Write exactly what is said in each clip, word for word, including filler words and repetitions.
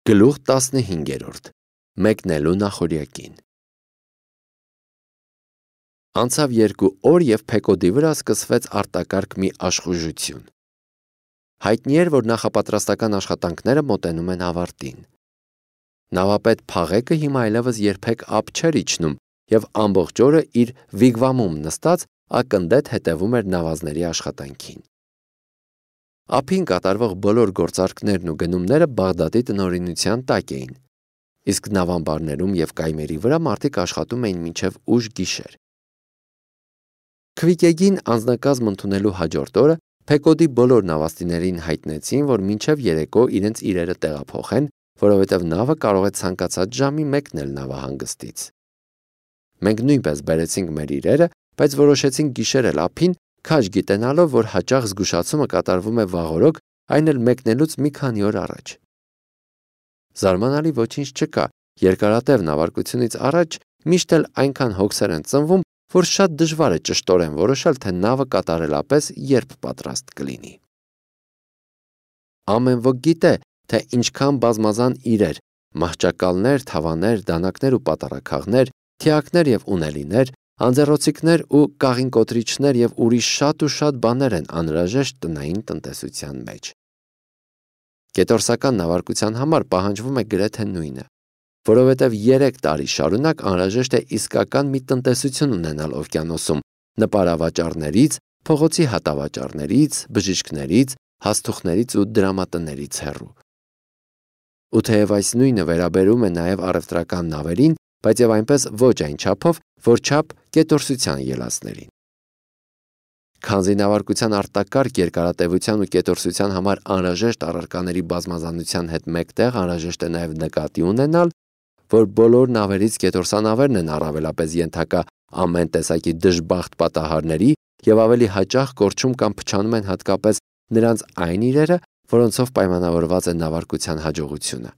Գլուխ տասնհինգերորդ. Մեկնելու նախօրյակին։ Անցավ երկու օր և Փեկոդի վրա սկսվեց արտակարգ մի աշխուժություն։ Հայտնի էր, որ նախապատրաստական աշխատանքները մոտենում են ավարտին։ Նավապետ Փաղեկը հիմա այլևս երբեք ափ չէր իջնում և ամբողջ օրը իր վիգվամում նստած ակնդետ հետևում էր նավազների աշխատանքին։ Ափին կատարվող բոլոր գործարքներն ու գնումները Բաղդադի տնօրինության տակ էին, իսկ նավամբարներում և կայմերի վրա մարդիկ աշխատում էին մինչև ուշ գիշեր։ Քվիկեգին անձնակազմ ընդունելու հաջորդ օրը Փեկոդի բոլոր նավաստիներին հայտնեցին, որ մինչև երեկո իրենց իրերը տեղափոխեն, որովհետև նավը կարող է ցանկացած ժամի մեկնել նավահանգստից։ Մենք նույնպես բերեցինք մեր իրերը, բայց որոշեցինք գիշերել ափին, քաջ գիտենալով, որ հաճախ զգուշացումը կատարվում է վաղօրոք, այն էլ մեկնելուց մի քանի օր առաջ։ Զարմանալի ոչինչ չկա, երկարատև նավարկությունից առաջ միշտ էլ այնքան հոգսեր են ծնվում, որ շատ դժվար է ճշտորեն որոշել, թե նավը կատարելապես երբ պատրաստ կլինի։ Ամեն ոք գիտե, թե ինչքան բազմազան իրեր, մահճակալներ, թավաներ, դանակներ ու պատառաքաղներ, թիակներ և ունելիներ, անձեռոցիկներ ու կաղինկոտրիչներ և ուրիշ շատ ու շատ բաներ են անհրաժեշտ տնային տնտեսության մեջ։ Կետորսական նավարկության համար պահանջվում է գրեթե նույնը, որովհետև երեք տարի շարունակ անհրաժեշտ է իսկական մի տնտեսություն ունենալ օվկիանոսում, նպարավաճառներից, փողոցի հատավաճառներից, բժիշկներից, հաստուխներից ու դրամատներից հեռու։ Ու թեև այս նույնը վերաբերում է նաև առևտրական նավերին, բայց և այնպես ոչ այն չափով, որչափ կետորսության ելածներին։ Քանզի նավարկության արտակարգ երկարատևության ու կետորսության համար անհրաժեշտ առարկաների բազմազանության հետ մեկտեղ անհրաժեշտ է նաև նկատի ունենալ, որ բոլոր նավերից կետորսանավերն են առավելապես ենթակա ամեն տեսակի դժբախտ պատահարների և ավելի հաճախ կորչում կամ փչանում են հատկապես նրանց այն իրերը, որոնցով պայմանավորված է նավարկության հաջողությունը։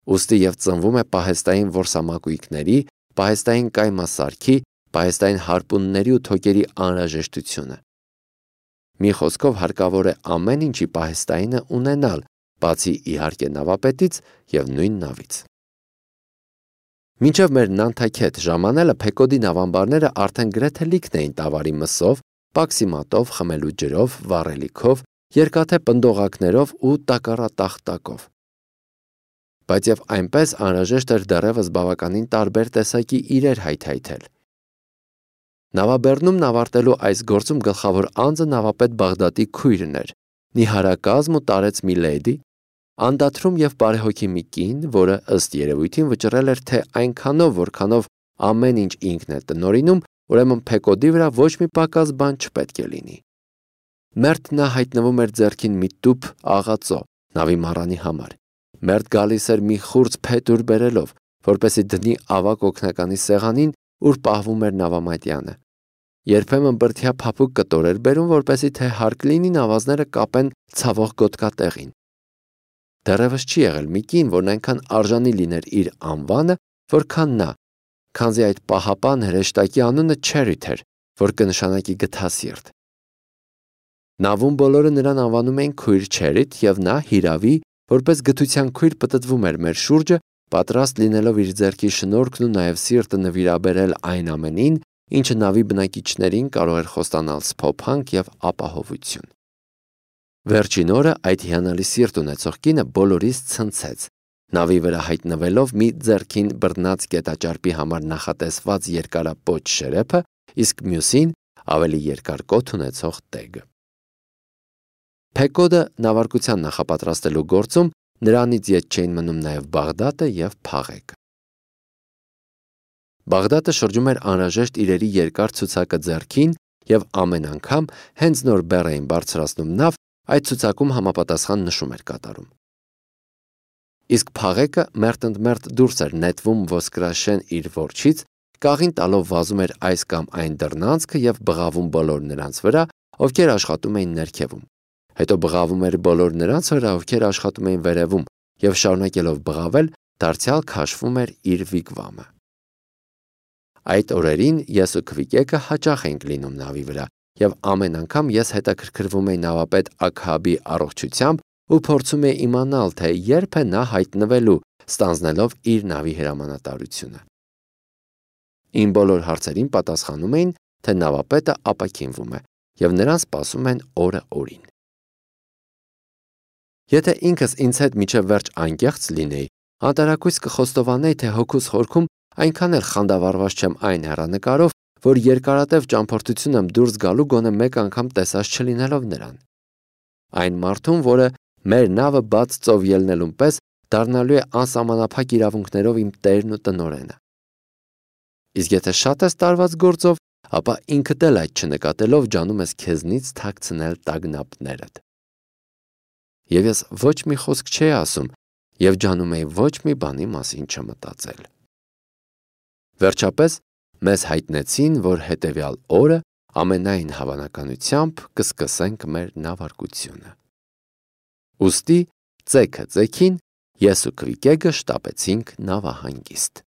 Ուստի և ծնվում է պահեստային որսամակույկների, պահեստային կայմասարքի, պահեստային հարպունների ու թոկերի անհրաժեշտությունը։ Մի խոսքով հարկավոր է ամեն ինչի պահեստայինը ունենալ, բացի իհարկե նավապետից և նույն նավից։ Մինչև մեր Նանթաքեթ ժամանելը Փեկոդի նավամբարները արդեն գրեթե լիքն էին տավարի մսով, պաքսի մատով, խմելու ջրով, վառելիքով, երկաթե պնդողակներով ու տակառատախտակով։ Բայց և այնպես անհրաժեշտ էր դեռևս բավականին տարբեր տեսակի իրեր հայթայթել։ Նավաբեռնում նավարտելու այս գործում գլխավոր անձը նավապետ Բաղդադի քույրն էր, նիհարակազմ ու տարեց մի լեդի, անդադրում և բարեհոգի մի կին, որը ըստ երևույթին վճռել էր, թե այնքանով, որքանով ամեն ինչ ինքն է տնօրինում, ուրեմն Փեկոդի վրա ոչ մի պակաս բան չպետք է լինի։ Մերթ նա հայտնվում էր ձեռքին մի տուփ աղածո, նավի մառանի համար։ Մերթ գալիս էր մի խուրձ փետուր բերելով, որպեսզի դնի ավագ օգնականի սեղանին, ուր պահվում էր նավամատյանը։ Երբեմն բրդյա փափուկ կտոր էր բերում, որպեսզի թե հարկ լինի նավազները կապեն ցավող գոտկատեղին։ Դեռևս չի եղել մի կին, որն այնքան արժանի լիներ իր անվանը, որքան նա, քանզի այդ պահապան հրեշտակի անունը Չերիթ էր, որ կնշանակի գթասիրտ։ Նավում բոլորը նրան անվանում էին քույր Չերիթ, և նա հիրավի, որպես գթության քույր պտտվում էր մեր շուրջը, պատրաստ լինելով իր ձեռքի շնորհքն ու նաև սիրտը նվիրաբերել այն ամենին, ինչը նավի բնակիչներին կարող էր խոստանալ սփոփանք և ապահովություն։ Վերջին օրը այդ հիանալի սիրտ ունեցող կինը բոլորիս ցնցեց, նավի վրա հայտնվելով մի ձեռքին բռնած կետաճարպի համար նախատեսված երկարապոչ շերեփը, իսկ մյուսին ավելի երկար կոթ ունեցող տեգը։ Փեկոդը նավարկության նախապատրաստելու գործում նրանից ետ չէին մնում նաև Բաղդադը և Փաղեկը։ Բաղդադը շրջում էր անհրաժեշտ իրերի երկար ցուցակը ձեռքին և ամեն անգամ, հենց նոր բեռ էին բարձրացնում նավ, այդ ցուցակում համապատասխան նշում էր կատարում։ Իսկ Փաղեկը մերթընդմերթ դուրս էր նետվում ոսկրաշեն իր որջից, կաղին տալով վազում էր այս կամ այն դռնանցքը և բղավում բոլոր նրանց վրա, ովքեր աշխատում էին ներքևում։ Հետո բղավում էր բոլոր նրանց վրա, ովքեր աշխատում էին վերևում, և շարունակելով բղավել, դարձյալ քաշվում էր իր վիգվամը։ Այդ օրերին ես ու Քվիկեկը հաճախ էինք լինում նավի վրա, և ամեն անգամ ես հետաքրքրվում էի նավապետ Աքհաբի առողջությամբ ու փորձում է իմանալ, թե երբ է նա հայտնվելու, ստանձնելով իր նավի հրամանատարությունը։ Իմ բոլոր հարցերին պատասխանում էին, թե նավապետը ապաքինվում է և նրան սպասում են օրը օրին։ Եթե ինքս ինձ հետ մինչև վերջ անկեղծ լինեի, անտարակույս կխոստովանեի, թե հոգուս խորքում այնքան էլ խանդավառված չեմ այն հեռանկարով, որ երկարատև ճամփորդություն եմ դուրս գալու գոնե մեկ անգամ տեսած չլինելով նրան։ Այն մարդուն, որը մեր նավը բաց ծով ելնելուն պես դառնալու է անսահմանափակ իրավունքներով իմ տերն ու տնօրենը։ Իսկ եթե շատ ես տարված գործով, ապա ինքդ էլ այդ չնկատելով ջանում ես քեզնից թաքցնել տագնապներդ։ Եվ ես ոչ մի խոսք չէի ասում և ջանում էի ոչ մի բանի մասին չմտածել։ Վերջապես մեզ հայտնեցին, որ հետևյալ օրը ամենայն հավանականությամբ կսկսենք մեր նավարկությունը։ Ուստի ծեքը ծեքին ես ու Քվիկեգը շտապեցինք նավահանգիստ։